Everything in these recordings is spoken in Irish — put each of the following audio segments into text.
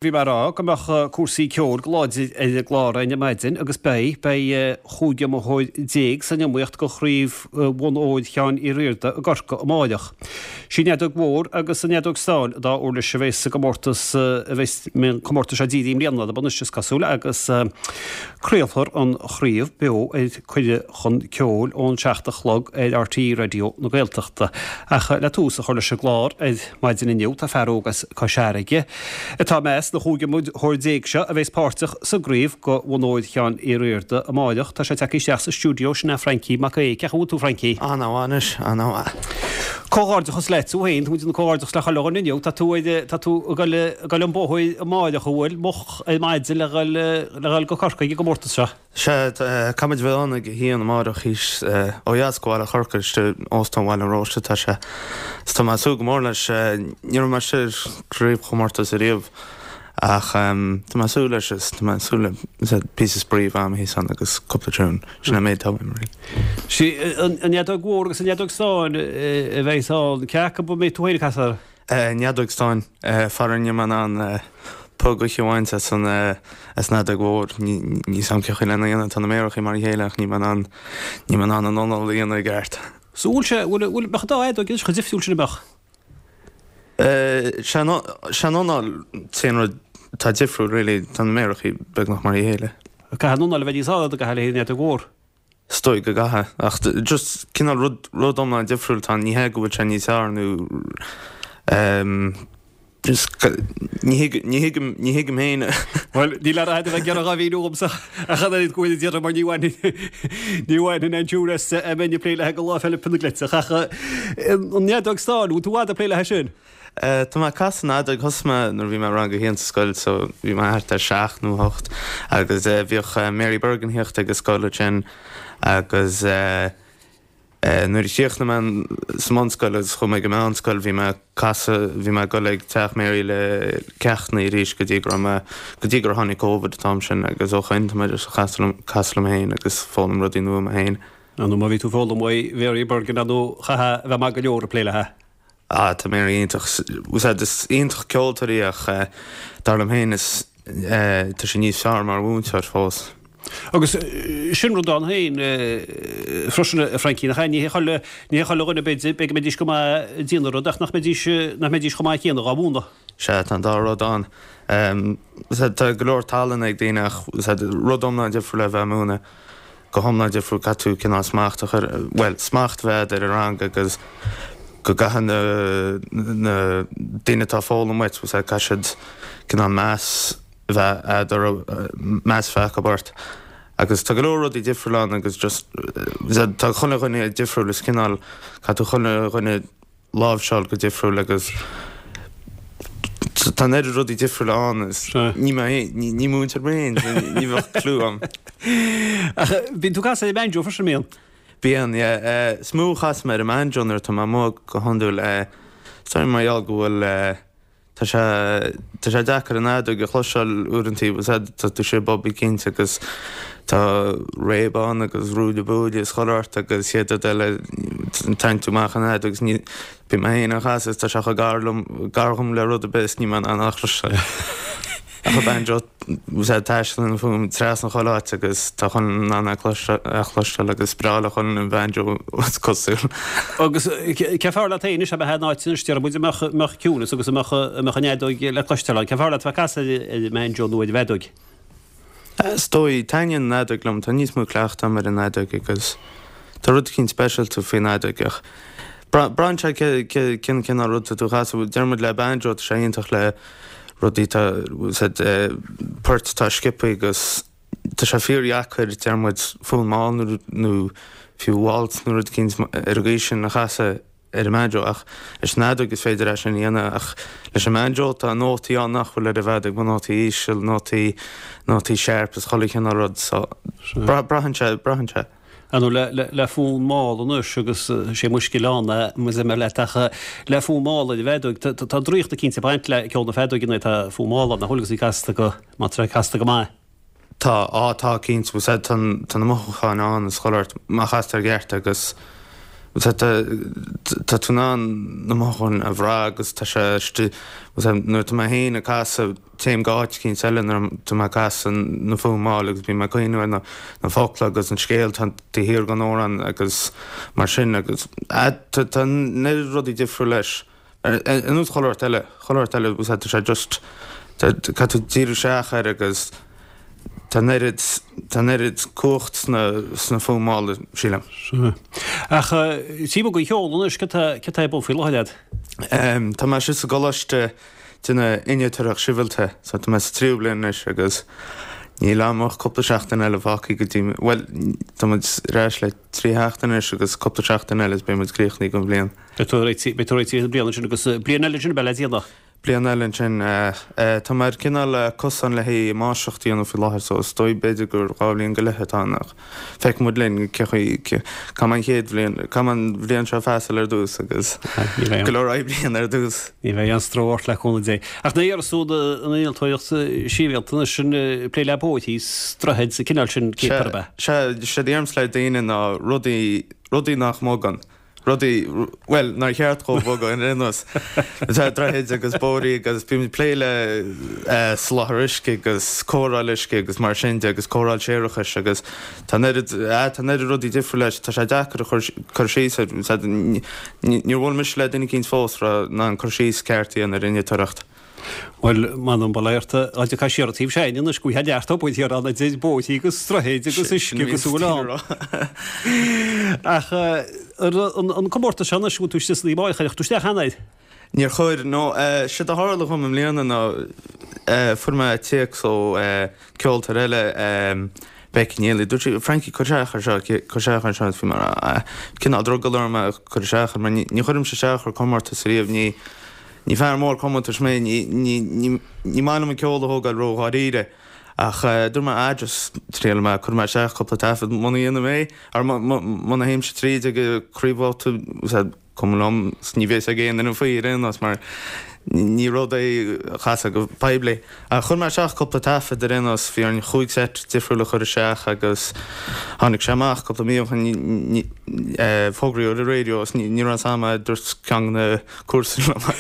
Bhí mé ag rá go mbeadh cúrsaí ceoil go láidir ar an gclár againn ar maidin agus beidh. Beidh 15 iomaitheoir san iomaíocht do Chraobh Bhonn Óir Sheáin Uí Riada i gCorcaigh amáireach. Sí an fheadóg mhór agus an fheadóg stáin an dá uirlis a bheas sa gcomórtas a bheas an comórtas seo dírithe i mbliana orthu anois is cosúil agus craolfar an chraobh beo ar Cuireadh chun Ceoil ón 7 a chlog ar RTÉ Raidió na Gaeltachta. Ach le tús a chur leis an gclár ar maidin inniu tá fear óg as Cois Fharraige atá i measc na chúig iomaitheoir seo a bheas páirteach sa gcraobh do Bhonn Óir Sheáin Uí Riada amáireach. Tá sé tagtha isteach sa stiúideo, sin é Francie Mac Aoidh. Cén chaoi a bhfuil tú, Francie? Ana-mhaith anois, ana-mhaith. Comhghairdeachas leat tú féin, tá muid ag déanamh comhghairdeachas le chuile dhuine inniu. Tá tú ar, tá tú ag goil, ag goil an bóthar amáireach, an bhfuil? Moch ar maidin le dhul, le dhul go Corcaigh ag an gcomórtas seo. Sea, caithfimid bheith ann ag a haon amáireach thíos ó dheas go Baile Chorcaí, istigh in Óstán Bhaile an Róiste atá sé. Is tá mé ag súil go mór leis. Ní raibh mé istigh ar chraobhchomórtas ariamh ach tá mé ag súil leis is tá mé ag súil le píosa spraoi a bheith agam thíos ann agus cúpla tune. Sin an méid atá uaim really. Sí an fheadóg mhór agus an fheadóg stáin a bheidh ann. Cé acu a mbeidh tú féin ag casadh? An fheadóg stáin, faraor níl mé in ann pog a bhaint as an as an fheadóg mhór. Níl 'fhios a'm cén chaoi lena dhéanamh, tá na méarachaí mar a chéile ach níl mé in ann, níl mé in ann an anáil a dhéanamh i gceart. So bhfuil sé, bhfuil, bhfuil, mbeadh an dá fheadóg anois chomh difriúil sin an mbeadh? Sé an, sé an anáil an t-aon rud atá difriúil really, tá na méarachaí beagnach mar a chéile. Caithfidh an anáil a bheith níos airde go háirithe an fheadóg mhór. Is dóigh go gcaithfidh, ach just cineál rud, rud iomlán difriúil atá ann, ní hé go bhfuil sé níos fearr nó ehm just ní thuigim, ní thuigim, ní thuigim féin. Bhuel, níl air a bheith ag iarraidh a mhíniú dhomsa ach an oiread go bhfuil ag iarraidh mar ní bhainfinn, ní bhainfinn an tsiúr as a mbeinn ag plé léi go Lá Fhéile Pionna Gleiteach ach an fheadóg stáin, bhfuil tú i bhfad ag plé léi sin? Tá mé ag casadh an fheadóg, thosaigh mé nuair a bhí mé i rang a haon sa scoil so bhí mé thart ar sheacht nó hocht agus bhíodh Mary Bergin ag theacht ag an scoil ansin agus nuair a chríochnaigh mé sa mbunscoil agus chuaigh mé ag an meánscoil bhí mé ag casadh, bhí mé ag dul ag teach Mary le ceachtanna arís go dtí go raibh mé, go dtí gur tháinig Covid an t-am sin agus ó shoin tá mé just ag casadh liom, casadh liom féin agus foghlaim rudaí nua mé féin. Ar ndóigh má bhí tú ag foghlaim uaidh Mary Bergin ar ndóigh chaithfeá a bheith maith go leor ag plé léi. Ah, tá Mary iontach, is iontach ceoltóir í ach dar liom féin is tá sí níos fearr mar mhúinteoir fós. Agus sin rud ann féin freisin, a Francie, nach ea? Ní hé chuile, ní hé chuile dhuine b'fhéidir, b'fhéidir go mbeidís go maith ag déanamh rud ach nach mbeidís, nach mbeidís chomh maith céanna dhá mhúineadh. Sea, tá an dá rud ann. Tá go leor tallann ag daoine ach rud iomlán difriúil é a bheith ag múineadh. go hiomlán difriúil, caithfidh tú cineál smacht a chur, bhuel, smacht a bheith agat ar an rang agus go gcaithfidh na, na daoine atá ag foghlaim uait, caithfidh siad cineál meas a bheith agat orthu, meas a bheith acu ort. Agus tá go leor rudaí difriúil ann agus just, tá chuile dhuine difriúil, is cineál, caithfidh tú chuile dhuine, láimhseáil go difriúil agus tá an oiread rudaí difriúla ann is ní mé féin, ní múinteoir mé féin, so ní bheadh clue agam. Ach bíonn tú ag casadh ar an mbanjo freisin, an mbíonn? Bíonn, yeah. Is mó a chasaim ar an mbanjo nuair atá mé amuigh go hiondúil. Is dóigh mar gheall go bhfuil Tá sé, tá sé deacair an fheadóg a chloisteáil uaireantaí, bhfuil 's a'd, tá tú istigh i bpub eicínt agus tá réab ann agus ruaille buaille is chuile shórt agus chéad rud eile tarraingt tú amach an fheadóg agus ní, bím mé féin á chasadh is tá sé chomh gar liom, gar dhom le rud ar bith is níl mé in ann é a chloisteáil. Ach an banjo, bhfuil 's a'd, taistealann an fuaim trasna chuile áit agus tá chuile dhuine in ann é a chloisteáil agus is breá le chuile dhuine an banjo is cosúil. Agus cé fearr leat féin anois, ab ea an áit anois, déarfaidh muid, a mbeadh, mbeadh ciúnas agus a mbeadh, a mbeadh an fheadóg le cloisteáil ann, cé fearr leat a bheith ag casadh ar an mbanjo nó ar an bhfeadóg? Is dóigh, taitníonn an fheadóg liom, tá níos mó cleachta agam ar an fheadóg agus tá rud eicínt speisialta faoin fheadóg ach braitheann sé cén cineál rud atá tú a chasadh, deir muid le banjo tá sé iontach le rudaí tá poirt atá sciobtha agus tá sé fíordheacair deir muid fonn mall nó nó fiú waltz nó rud eicínt ar an gcaoi sin a chasadh ar an mbanjo ach leis an fheadóg is féidir é sin a dhéanamh ach leis an mbanjo tá nótaí ann nach bhfuil ar an bhfeadóg, na nótaí íseal, nótaí nótaí sharp is chuile chineál rud so braitheann sé braitheann sé. Ar ndóigh, le fonn mall anois agus sé mo scil ann é, más maith leat, ach le fonn mall ar an bhfeadóg, tá draíocht eicínt ag baint le ceol na feadóige nuair atá fonn mall ann, nach bhfuil agus í casta go, má tá sé casta go maith. Tá, á tá cinnte, bhfuil 's a'd, tá na mothúcháin ann is chuile shórt, má chastar i gceart agus. Tá tá tú in ann na mothúcháin a bhrath agus tá sé istigh, nuair atá mé féin ag casadh, téim go áit eicínt eile nuair atá mé ag casadh na fuaimeáil agus bím ag cuimhniú ar na focla agus an scéal atá taobh thiar den amhrán agus mar sin agus tá an oiread rudaí difriúil leis. Ar nós chuile shórt eile, chuile shórt eile, tá sé just, caithfidh tú díriú isteach air agus tá an oiread, tá an oiread cumhacht sna, sna fuaimeála, sílim. Sea. Ach taobh amuigh den cheol anois, cad tá, cad tá ar bun faoi láthair agat? Tá mé istigh sa gcoláiste ag déanamh innealtóireacht sibhialta, so tá mé sa tríú bliain anois agus níl agam ach cúpla seachtain eile fágtha go dtí, bhuel, tá muid ar ais le 3 sheachtain anois agus cúpla seachtain eile is beidh muid críochnaithe don bhliain. Beidh tú réitithe, beidh tú réitithe don bhliain ansin agus bliain eile ansin a bheidh le déanamh. Bliain eile ansin. Tá mé ar cineál cosán le haghaidh máistreacht a dhéanamh faoi láthair so is dóigh b'fhéidir gur 2 bhliain go leith atá ann ach feicfidh muid linn cé chaoi, caithfidh mé an chéad bhliain, caithfidh mé an bhliain seo a phassáil ar dtús agus go leor oibre a dhéanamh ar dtús. Ní bheidh aon stró ort le cúnamh Dé. Ach ní dhéarfas tú an innealtóireacht sibhialta anois sin plé le bóithrí is droichid sa cineál sin céard ab ea? Sea, séard a deirimse le daoine ná rudaí, rudaí nach mbogann, rudaí, bhuel, nár cheart dhóibh bogadh ar aon nós. Sea, droichid agus bóithrí agus bímid ag plé le soláthar uisce agus cóireáil uisce agus mar sin de agus cóireáil séarachais agus tá an oiread, tá an oiread rudaí difriúil leis, tá sé deacair a chur, cur síos air. Níor bhuail mise le duine eicínt fós a raibh in ann cur síos ceart a dhéanamh ar innealtóireacht. Bhuel, m'anam bail ort, dá dtiocfá siar an taobh sin anois go bhfaighfeá neart obair thiar ann idir bóithrí agus droichid agus uisce agus a bhfuil ann. Ach an comórtas seo anois, bhfuil tú istigh san iomaíocht, ar chuir tú isteach cheana air? Níor chuir, no. Séard a tharla dhom i mbliana ná fuair mé téacs ó ceoltóir eile, Becky Neely, dúirt sí, Frankie, cuir isteach ar seo, cuir isteach ar seo, is bhí mé a rá, cineál drogall orm é a chur isteach air, mar ní chuirimse isteach ar comórtas ariamh, ní, ní fear mór comórtais mé, ní, ní, ní, ní maith liom an ceol a thógáil ró-dháiríre. Ach dúirt mé, ah, just triailfidh mé, cuirfidh mé isteach cúpla taifead, muna dhéanaim é, or muna théimse tríd ag an craobhbhabhta, Cuma liom, 's ní bheidh a fhios ag aon duine faoi ar aon nós mar ní rud é a chasadh go poiblí. Ach chuir mé isteach cúpla taifead ar aon nós, bhí orainn chúig seit difriúil a chur isteach agus tháinig sé amach cúpla mí ó shin, fógraíodh ar an raidió is ní raibh a fhios a'm é, dúirt ceann de na comharsana liom é.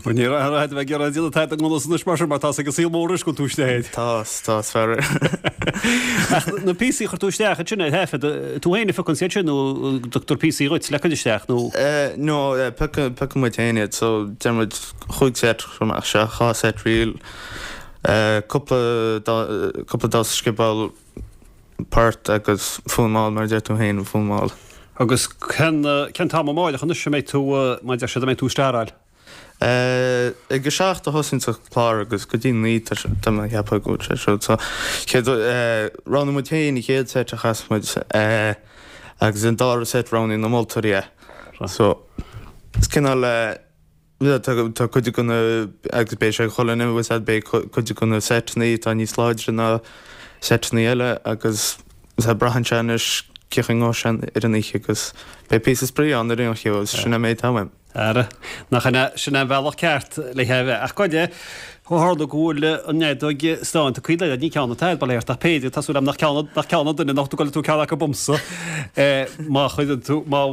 Bhuel ní raibh a bheith ag iarraidh déanamh tada i ngan fhios anois mar sin mar tá 's ag an saol mór anois go bhfuil tú istigh air. Tá, tá, is fearr é. Ach na píosaí a chuir tú isteach ansin ar thaifead, tú féin a phiocann iad sin nó tugtar píosaí dhuit le cur isteach nó? No, piocann muid féin iad, so déanann muid chúig seit, chuir mé isteach dhá seit ríl, cúpla, cúpla damhsa sciobóil, port agus fuaimeáil mar a deir tú féin, fuaimeáil. Agus cén, cén t-am amáireach anois a mbeidh tú, mar a deir siad, a mbeidh tú ag staráil? Ag a 7 a thosaíonn an clár agus go dtí 9 tá mé ag ceapadh go bhfuil sé siúd. So chéad, roghnaigh muid féin an chéad seit a chas muid agus an dara seit roghnaigh na moltóirí é. So is cineál tá tá cuid de na agus beidh sé ag chuile dhuine bhfuil a fhios a'd beidh cuid de na seiteanna atá níos láidre ná seiteanna eile agus braitheann sé anois cén chaoi a ngabhfaidh sé ar an oíche agus beidh píosa spraoi ann ar aon chaoi agus sin an méid atá uaim. Ara, nach in é sin an bealach ceart le é a bheith. Ach goidé, ó tharla go bhfuil an fheadóg stáin tugtha leat, ní ceann atá agat, bail ort, ach b'fhéidir, tá súil agam nach ceann, nach ceann an duine nach dtugann tú ceann acu dhomsa, má chuireann tú, má,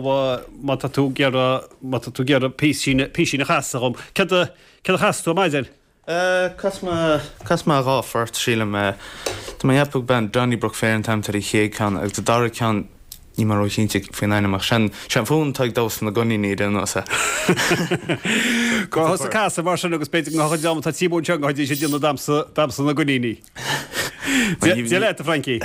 má tá tú ag iarraidh, má tá tú ag iarraidh písín, písín a chasadh dhom. Céard a, céard a chasfaidh tú ar maidin? Chas mé dhá phort, sílim. Tá mé ag ceapadh gurb é an Donnybrook Fair an t-ainm atá ar an chéad ceann agus an dara ceann níl mé róchinnte faoin ainm ach sin an fonn atá ag damhsa na gcoiníní ar aon nós. Gabh thusa ag casadh mar sin agus b'fhéidir go ngabhfaidh an dream atá timpeall anseo go ngabhfaidís ag déanamh damhsa damhsa na gcoiníní. Dia leat, a Frankie.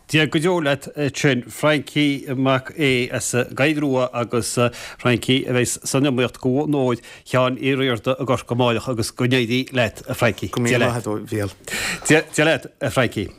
Dia go deo leat sin Frankie Mac Aodha as an gCoill Rua agus Frankie a bheas san iomaíocht do bhonn óir Sheáin Uí Riada i gCorcaigh amáireach agus go n-éirí leat a Frankie. Go míle maith agat a Mhíchíl. Dia leat a Frankie.